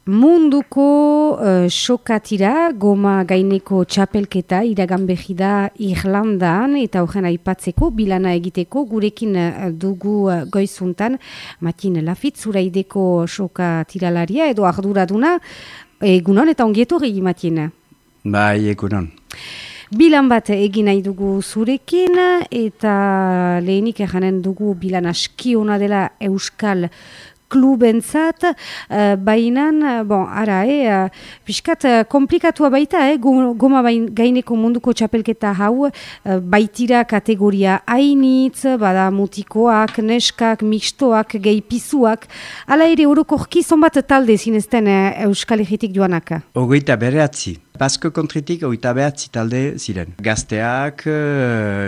Munduko sokatira, goma gaineko txapelketa iragan behi da Irlandan eta horren aipatzeko, bilana egiteko, gurekin dugu goizuntan, Matin Lafitz, zuraideko sokatiralaria edo arduraduna, egunon eta ongietorri, Matin. Bai, egunon. Bilan bat egin nahi dugu zurekin eta lehenik erranen dugu bilan aski ona dela Euskal klubentzat, bainan, piskat komplikatua baita, goma gaineko munduko txapelketa hau, baitira kategoria hainitz, bada mutikoak, neskak, mixtoak, gehipizuak, ala ere orokorki zonbat talde zinezten Euskal Herritik joanak? 29. Basko kontritik 29 talde ziren. Gazteak,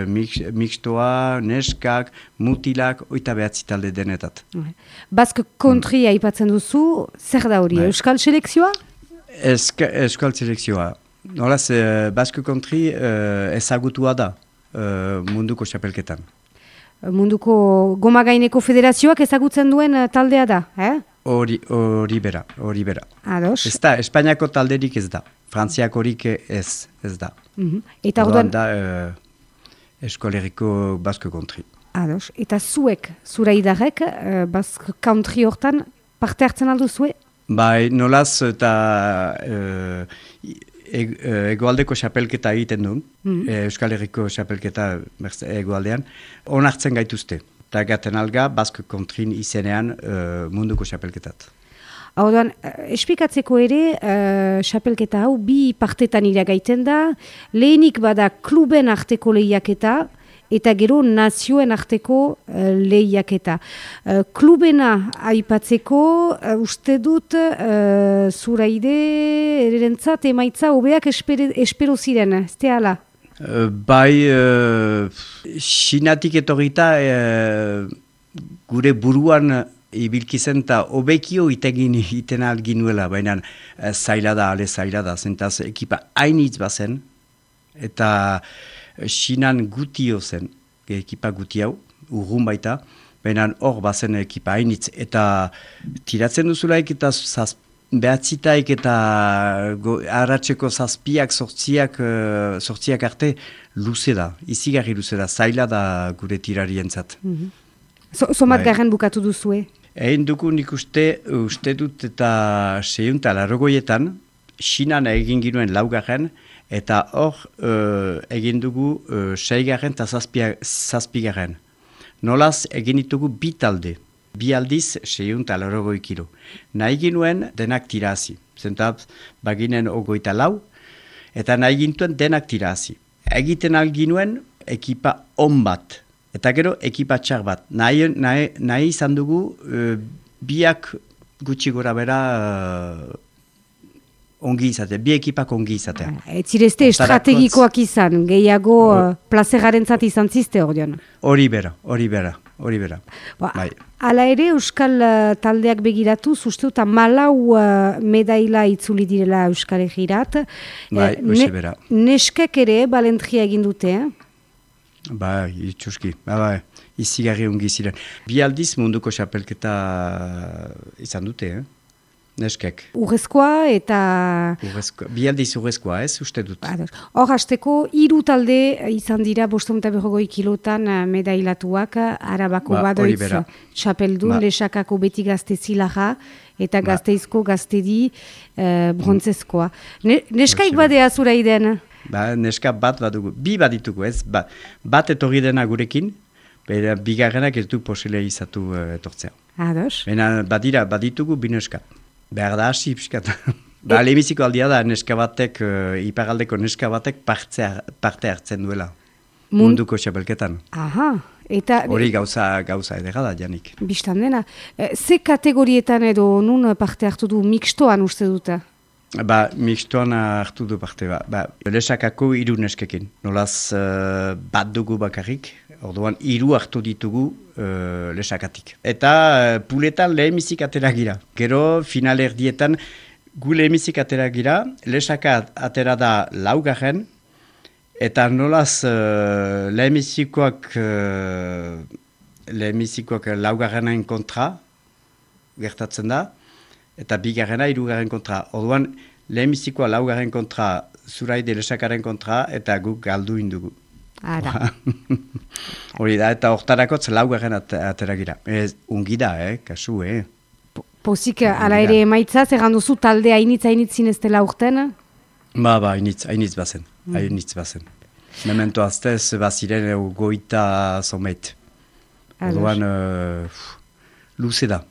mixtoa, neskak, mutilak, 29 talde denetat. Basko kontria aipatzen duzu, zer da hori? Euskal selekzioa? Euskal selekzioa. Nolaz, Basko kontri ezagutua da munduko txapelketan. Munduko goma gaineko federazioak ezagutzen duen taldea da, Hori bera. Ados. Ez da, Espainiako talderik ez da. Frantziak horik ez da. Eta orduan da Euskal Herriko Basko kontri. Ados. Eta zuek, zuraidarrek, Basko country hortan parte hartzen aldu zue? Bai, nolaz eta egoaldeko xapelketa egiten duen, Euskal Herriko xapelketa egoaldean, onartzen gaituzte. Eta gaten alga, Basko kontrin izenean munduko xapelketat. Orduan, espikatzeko ere, xapelketa hau bi partetan iragaiten da, lehenik bada kluben arteko lehiaketa, eta gero nazioen arteko lehiaketa. Klubena aipatzeko, uste dut, zuraide erentzat emaitza hobeak espero ziren, ez hala? Bai, Xinatik etorrita gure buruan ibilkizen eta obekio iten alginuela, baina zaila da, zentaz ekipa hainitz bazen, eta Xinan gutio zen, ekipa guti hau, urrun baita, baina hor bazen ekipa hainitz, eta tiratzen duzulaik eta behatzitaik eta arratseko zazpiak, sortziak arte luze da, izigarri luze da, zaila da gure tirarientzat. Somat garen bukatu duzue? Egin dugu nik uste dut eta 680etan, Xinan egin ginuen 4. Eta hor egin dugu 6. eta 7. Nolaz egin ditugu bi talde. Bi aldiz 680 kilo. Nahi ginuen denak tirazi. Zentaz, baginen 24, eta nahi gintuen denak tirazi. Egiten alginuen ekipa on bat. Eta gero ekipa txar bat. Nahi izan dugu biak gutxi gora bera ongi izatea, bi ekipak ongi izatea. Ez zirezte estrategikoak izan, gehiago plazegarentzat izan ziste ordean. Hori bera. Hala ere, Euskal taldeak begiratu, uste dut, 14 medaila itzuli direla Euskal Herrirat. Bai, hoxe bera. Neskek ere balentria egin dute, Bai, itxuski, bai, izigarri ongi ziren. Bi aldiz munduko xapelketa izan dute, Neskek. Urrezkoa eta... Bi aldiz urrezkoa, uste dut. Hor, hasteko, 3 talde izan dira 550 kilotan medailatuak, Arabako badoitz txapeldun, Lesakako beti gazte zilaja, eta gazteizko gaztedi brontzezkoa. Neskaik badea zura iden? Neska bat badugu, bi baditugu, bat etorri dena gurekin, bigarrenak ez du posile izatu etortzea. Ados. Baditugu bi neska. Behar da hasi, piskat. Lehemiziko aldia da, neska batek, iparaldeko neska batek parte hartzen duela. Munduko xapelketan. Aha. Hori gauza edera da, Janik. Bistan dena. Ze kategorietan edo nun parte hartu du mixtoan uste duta? Mixtoan hartu du parte. Lesakako 3 neskekin. Nolaz bat dugu bakarrik. Orduan, 3 hartu ditugu lesakatik. Eta puletan lehemizik atera gira. Gero, final erdietan, gu lehemizik atera gira, lesaka atera da 4. Eta nolaz lehemizikoak 4. kontra gertatzen da, eta bigarrena hirugarren kontra. Orduan, lehenbizikoa laugarren kontra, Zuraide Lesakaren kontra, eta guk galdu indugu. Ara. Hori da, eta hortarakotz laugarren atera gira. Ungi da, kasu, Pozik, ala ere emaitza, zer duzu talde hainitz zineztela urten? Hainitz bazen. Hainitz bazen. Memento aztez, baziren goita zomeit. Orduan, luze da.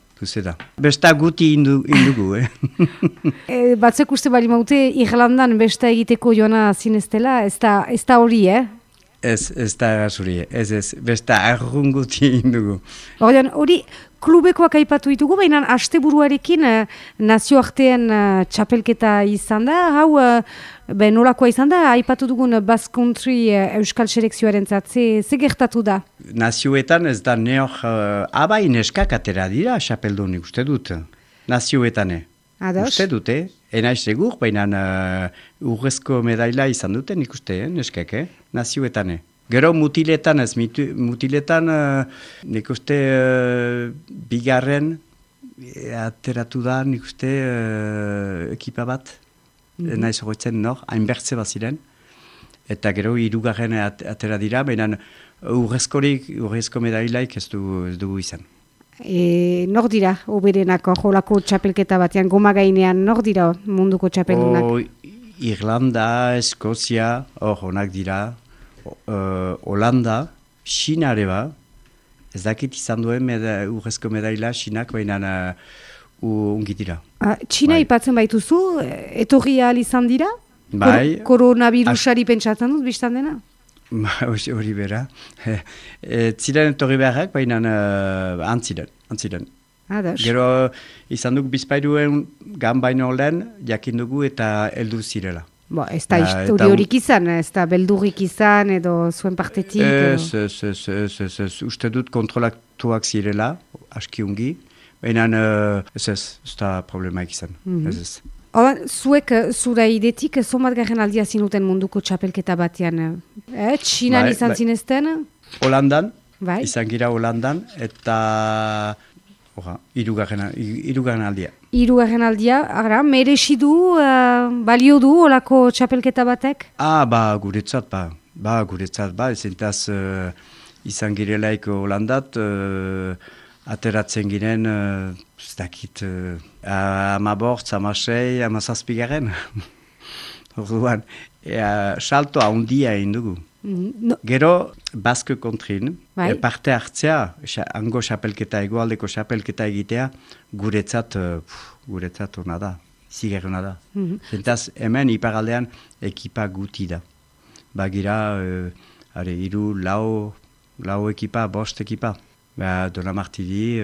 Besta guti indugu, Batzuk uste bali maute, Irlandan besta egiteko joana zineztela, ez da hori, Ez da zuri, ez, besta arrunguti indugu. Hori, klubekoak aipatu ditugu, baina asteburuarekin nazioartean txapelketa izan da, hau nolakoa izan da, aipatu dugun Basque Country Euskal Selekzioaren ze gertatu da? Nazioetan ez da neok, abai neskak atera dira txapeldunik, uste dut, nazioetane. Uste dute, enaiz segur, baina urrezko medaila izan duten ikuste, neskak, nazioetan. Gero mutiletan ez, mutiletan nik uste bigarren ateratu da nik uste ekipa bat, naiz horretzen hainbertze baziren, eta gero hirugarren atera dira, baina urrezko medailaik ez dugu izan. Nor dira, oberenako, jolako txapelketa batean, goma gainean, nor dira munduko txapeldunak? Irlanda, Eskozia, honak dira, Holanda, China ere ba, ez dakit izan duen urrezko medaila Chinak, baina ungi dira. China ipatzen baituzu, etorri ahal izan dira? Bai. Koronavirusari pentsatzen dut, biztan dena? Hori bera. Ziren etorri beharrak, baina antziren. Gero izan dugu bizpairuen gan baino lehen, jakin dugu eta heldu zirela. Ez da histori horik izan, ez da beldurrik izan edo zuen partetik? Ez, uste dut kontrolatuak zirela, aski ungi, baina ez da problemaik izan. Zuek zura idetik, zomat garen aldia zinuten munduko txapelketa batean? Txinan izan zinezten? Holandan, izan gira Holandan, eta hirugarren aldia. Hirugarren aldia, merezi du, balio du olako txapelketa batek? Guretzat, ezentaz izan girelaik Holandat, ateratzen giren, ez dakit, 15, 16, 17 garen. Orduan, salto handia egin dugu. Gero, Basque Countryn, parte hartzea, hango xapelketa, egoaldeko xapelketa egitea, guretzat hona da, ziger hona da. Zentaz, hemen iparaldean ekipa guti da. Bagira, hiru, lau ekipa, bost ekipa. Dona Martiri,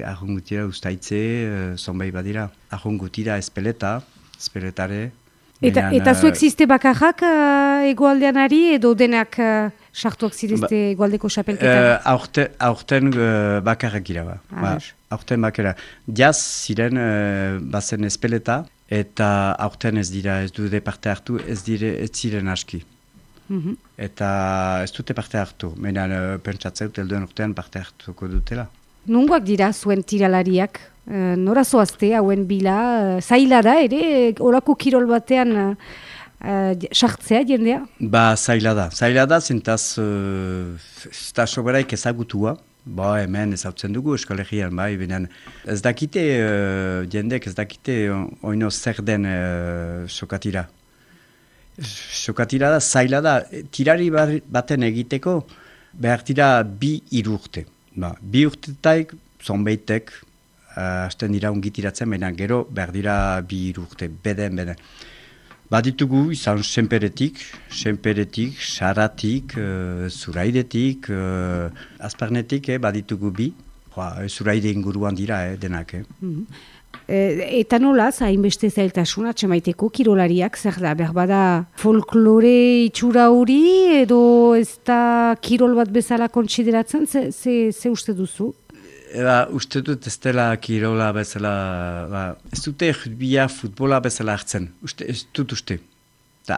arrungutira ustaitze, zonbait badira. Arrungutira espeletare. Eta zuek ziste bakarrak egoaldeanari edo denak sartuak zirezte egoaldeko xapelketan? Aurten bakarrak gira ba. Aurten bakarrak. Jaz ziren bazen espeleta eta aurten ez dute parte hartu, ez ziren aski. Eta ez dute parte hartu, menan pentsatzeu telduen urtean parte hartuko dutela. Nungoak dira zuen tiralariak? Nora zoazte, hauen bila, zaila da ere, orako kirol batean sartzea jendea? Zaila da, zentaz, eta soberaik ezagutua, hemen ezautzen dugu eskolegian, benen ez dakite, jendek ez dakite oino zer den sokatira. Sokatira da, zaila da, tirari baten egiteko, behar tira 2 urte. 2 urtetaik, zonbeitek, hasten dira ungitiratzen, baina gero behar dira 2 urte, beden. Baditugu izan senperetik, saratik, zuraidetik, azparnetik, baditugu 2. Zuraide inguruan dira, denak. Eta nola, hainbeste zailtasuna, txemaiteko kirolariak, zer da, behar bada folklore itxura hori, edo ez da kirol bat bezala kontsideratzen, ze uste duzu? Uste dut ez dela kirola bezala, ez dute rugbya futbola bezala hartzen, ez dut uste.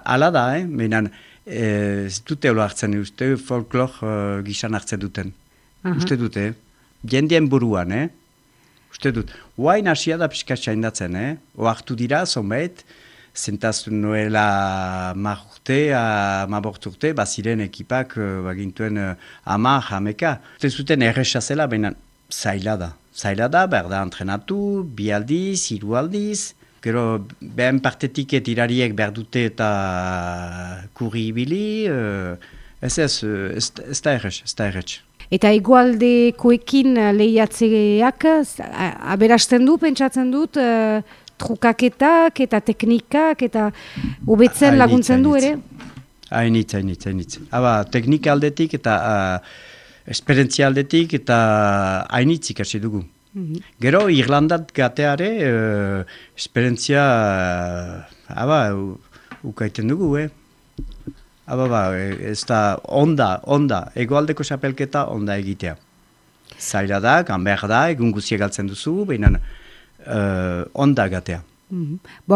Hala da, menan ez dute hola hartzen, uste folklor gizan hartzen duten. Uste dute, jendien buruan, uste dut. Huain hasia da pixka txaindatzen, oartu dira, zonbait, zentaztu nuela mabort urte, baziren ekipak bagintuen hameka. Uste zuten erresa zela, baina zaila da. Zaila da, berda entrenatu, 2 aldiz, 3 aldiz, gero behen partetik tirariek berdute eta kurri ibili, ez da erretx. Eta egualdekoekin lehiatzeak aberasten du, pentsatzen dut, trukaketak eta teknikak eta hobetzen laguntzen du ere? Hainitz. Aba, teknika aldetik eta esperientzia aldetik eta hainitz ikasi dugu. Gero, Irlandat gateare, esperientzia, ukaiten dugu, ez da onda, egoaldeko xapelketa onda egitea. Zaila da, ganber da, egun guziak galtzen duzu, baina onda gatea.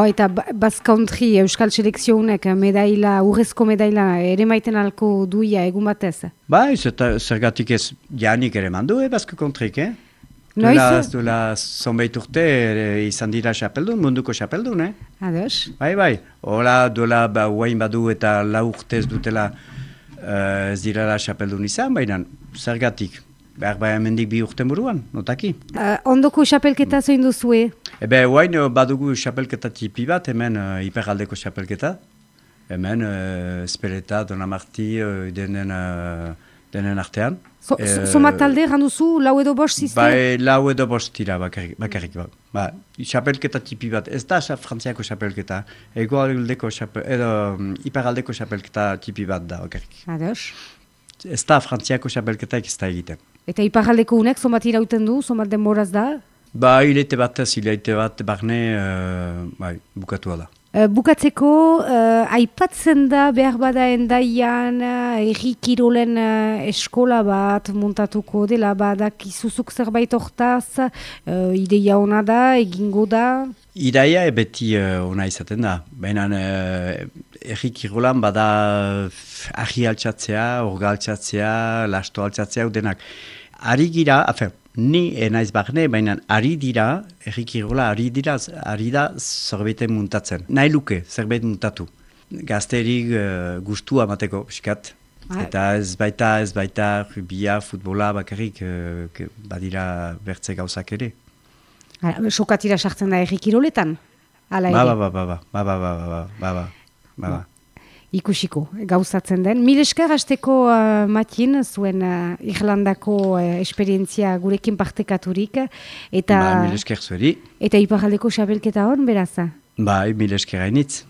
Eta Basque Country Euskal Selekzionek urrezko medaila ere maiten alko duia egun batez? Zergatik ez janik ere mandu, Basque Countryk, Duela zonbait urte izan dira xapeldun, munduko xapeldun, Ados. Bai. Hola, duela guain badu eta 4 urtez dutela ez direla xapeldun izan, baina zergatik. Behar hemendik 2 urten buruan, notaki. Ondoko xapelketa zoin duzue? Guain badugu xapelketa tipi bat, hemen hiperaldeko xapelketa. Hemen Espeleta, Donamarti, denen artean. Somat talde, randuzu, 4 edo 5 zizte? 4 edo 5 tira bakarrik. Xapelketa tipi bat, ez da frantziako xapelketa, hiperaldeko xapelketa tipi bat da bakarrik. Ados. Ez da frantziako xapelketak ez da egiten. Eta iparaldeko unek, somat irauten du, somat denboraz da? Hilete bat barne bukatua da. Bukatzeko, aipatzen da behar bada endaian erri kirolen eskola bat montatuko dela badak izuzuk zerbait hortaz, ideia ona da, egingo da? Ideia beti ona izaten da, baina erri kirolan bada ahi altxatzea, orga altxatzea, lasto altxatzea, denak. Ari gira, ni naiz barne, baina ari dira, erri kirola ari da zerbaiten muntatzen. Nahi luke, zerbait muntatu. Gazterik gustua mateko, piskat. Eta ez baita rubia, futbola, bakarrik badira bertze gauzak ere. Sokatira sartzen da erri kiroletan? Ba. Ikusiko, gauzatzen den. Mil esker hasteko Matin, zuen Irlandako esperientzia gurekin partekaturik. Mil esker zueri. Eta iparaldeko xabelketa hon, beraz? Mil esker hainitz.